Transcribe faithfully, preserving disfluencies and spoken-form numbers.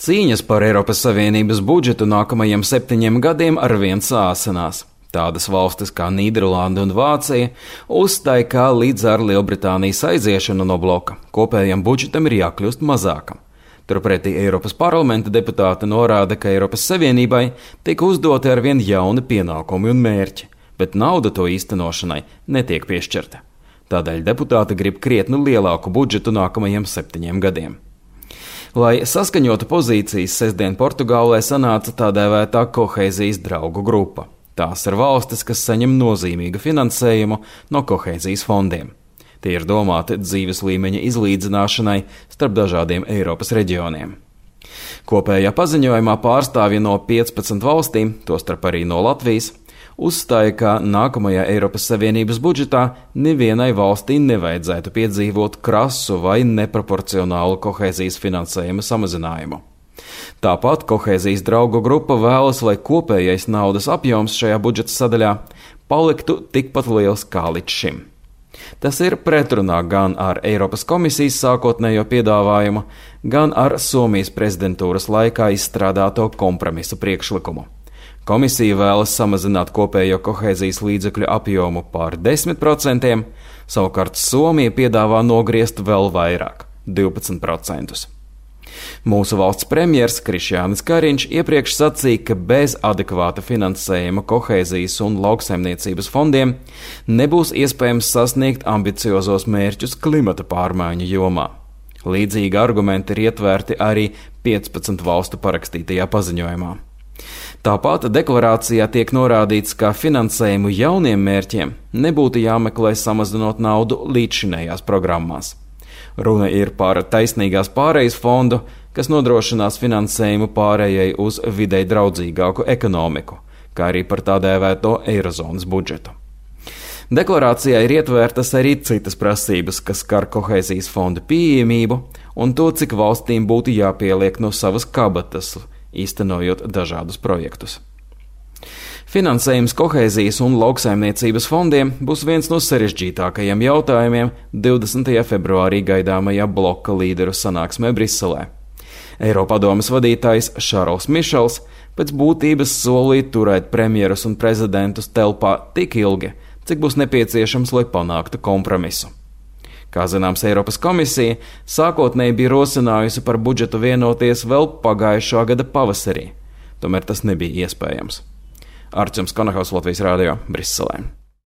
Cīņas par Eiropas Savienības budžetu nākamajiem septiņiem gadiem arvien sāsinās. Tādas valstis kā Nīderlanda un Vācija uzstāja, ka līdz ar Lielbritānijas aiziešanu no bloka kopējam budžetam ir jākļūst mazākam. Turpretī Eiropas parlamenta deputāti norāda, ka Eiropas Savienībai tika uzdoti arvien jauni pienākumi un mērķi, bet nauda to īstenošanai netiek piešķirta. Tādēļ deputāti grib krietni lielāku budžetu nākamajiem septiņiem gadiem. Lai saskaņotu pozīcijas, sestdien Portugālē sanāca tā dēvētā kohēzijas draugu grupa. Tās ir valstis, kas saņem nozīmīgu finansējumu no kohēzijas fondiem. Tie ir domāti dzīves līmeņa izlīdzināšanai starp dažādiem Eiropas reģioniem. Kopējā paziņojumā pārstāvji no piecpadsmit valstīm, tostarp arī no Latvijas, uzstāja, ka nākamajā Eiropas Savienības budžetā nevienai valstī nevajadzētu piedzīvot krasu vai neproporcionālu kohēzijas finansējuma samazinājumu. Tāpat kohēzijas draugu grupa vēlas, lai kopējais naudas apjoms šajā budžeta sadaļā paliktu tikpat liels kā līdz šim. Tas ir pretrunā gan ar Eiropas komisijas sākotnējo piedāvājumu, gan ar Somijas prezidentūras laikā izstrādāto kompromisa priekšlikumu. Komisija vēlas samazināt kopējo kohēzijas līdzekļu apjomu par desmit procentiem, savukārt Somija piedāvā nogriezt vēl vairāk – divpadsmit procentus. Mūsu valsts premjers Krišjānis Kariņš iepriekš sacīja, ka bez adekvāta finansējuma kohēzijas un lauksaimniecības fondiem nebūs iespējams sasniegt ambiciozos mērķus klimata pārmaiņu jomā. Līdzīgi argumenti ir ietverti arī piecpadsmit valstu parakstītajā paziņojumā. Tāpat deklarācijā tiek norādīts, ka finansējumu jauniem mērķiem nebūtu jāmeklē samazinot naudu līdzšinējās programmās. Runa ir par taisnīgās pārejas fondu, kas nodrošinās finansējumu pārējai uz videi draudzīgāku ekonomiku, kā arī par tā dēvēto eirozonas budžetu. Deklarācijā ir ietvērtas arī citas prasības, kas skar kohēzijas fonda pieejamību un to, cik valstīm būtu jāpieliek no savas kabatas, īstenojot dažādus projektus. Finansējums kohēzijas un lauksaimniecības fondiem būs viens no sarežģītākajiem jautājumiem divdesmitajā februārī gaidāmajā bloka līderu sanāksmē Briselē. Eiropadomes vadītājs Šarls Mišels pēc būtības solīja turēt premjerus un prezidentus telpā tik ilgi, cik būs nepieciešams, lai panāktu kompromisu. Kā zināms, Eiropas komisija sākotnēji bija rosinājusi par budžetu vienoties vēl pagājušā gada pavasarī. Tomēr tas nebija iespējams. Arčuns Konahaus, Latvijas Rādio, Briselē.